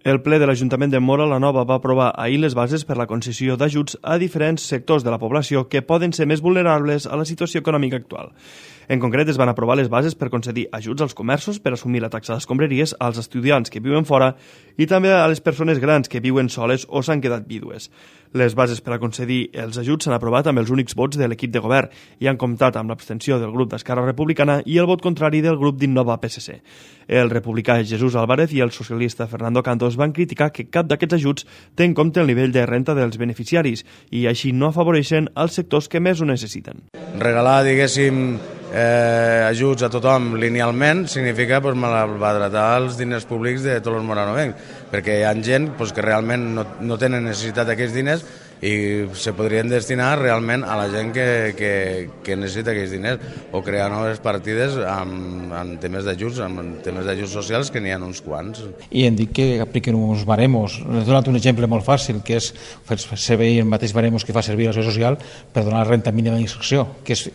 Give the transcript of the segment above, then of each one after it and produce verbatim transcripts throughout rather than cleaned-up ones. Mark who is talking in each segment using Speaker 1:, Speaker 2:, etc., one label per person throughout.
Speaker 1: El ple de l'Ajuntament de Móra la Nova va aprovar ahir les bases per la concessió d'ajuts a diferents sectors de la població que poden ser més vulnerables a la situació econòmica actual. En concret, es van aprovar les bases per concedir ajuts als comerços per assumir la taxa d'escombraries, als estudiants que viuen fora i també a les persones grans que viuen soles o s'han quedat vídues. Les bases per a concedir els ajuts s'han aprovat amb els únics vots de l'equip de govern i han comptat amb l'abstenció del grup d'Esquerra Republicana i el vot contrari del grup d'Innova P S C. El republicà Jesús Álvarez i el socialista Fernando Cantos van criticar que cap d'aquests ajuts té en compte el nivell de renta dels beneficiaris i així no afavoreixen els sectors que més ho necessiten.
Speaker 2: Regalar, diguéssim, eh, ajuts a tothom linealment significa pues, malbaratar els diners públics de tots els moranovencs, perquè hi ha gent pues, que realment no, no tenen necessitat d'aquests diners i se podrien destinar realment a la gent que, que, que necessita aquests diners o crear noves partides amb, amb temes d'ajuts, amb temes d'ajuts socials que n'hi ha uns quants.
Speaker 3: I hem dit que apliquen uns baremos. He donat un exemple molt fàcil, que és fer servir el mateix baremos que fa servir la Seguretat Social per donar la renta mínima d'inserció, que és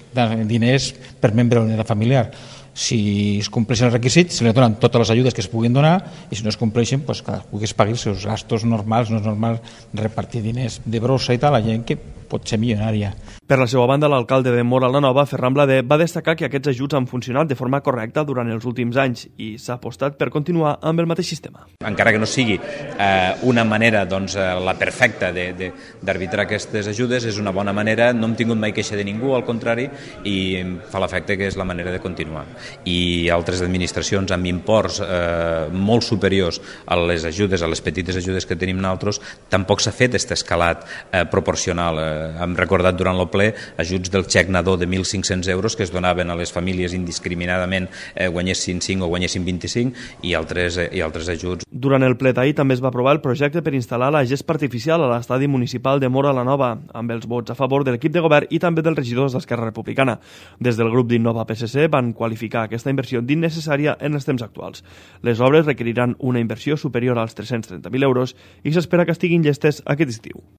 Speaker 3: diners per membre de la unitat familiar. Si es compleixen els requisits, se li donen totes les ajudes que es puguin donar i si no es compleixen, pues, cadascú que es pagui els seus gastos normals. No és normal repartir diners de brossa i tal a gent que pot ser milionària.
Speaker 1: Per la seva banda, l'alcalde de Móra la Nova, Ferran Blader, va destacar que aquests ajuts han funcionat de forma correcta durant els últims anys i s'ha apostat per continuar amb el mateix sistema.
Speaker 4: Encara que no sigui eh, una manera doncs, la perfecta d'arbitrar aquestes ajudes, és una bona manera, no hem tingut mai queixa de ningú, al contrari, i fa l'efecte que és la manera de continuar. I altres administracions amb imports eh, molt superiors a les ajudes, a les petites ajudes que tenim nosaltres, tampoc s'ha fet aquest escalat eh, proporcional. Eh, hem recordat durant el ple ajuts del xec nadó de mil cinc-cents euros que es donaven a les famílies indiscriminadament, eh, guanyessin cinc o guanyessin vint-i-cinc i altres, eh, i altres ajuts.
Speaker 1: Durant el ple d'ahir també es va aprovar el projecte per instal·lar la gespa artificial a l'estadi municipal de Móra la Nova, amb els vots a favor de l'equip de govern i també dels regidors d'Esquerra Republicana. Des del grup d'Innova P S C van qualificar aquesta inversió d'innecessària en els temps actuals. Les obres requeriran una inversió superior als tres-cents trenta mil euros i s'espera que estiguin llestes aquest estiu.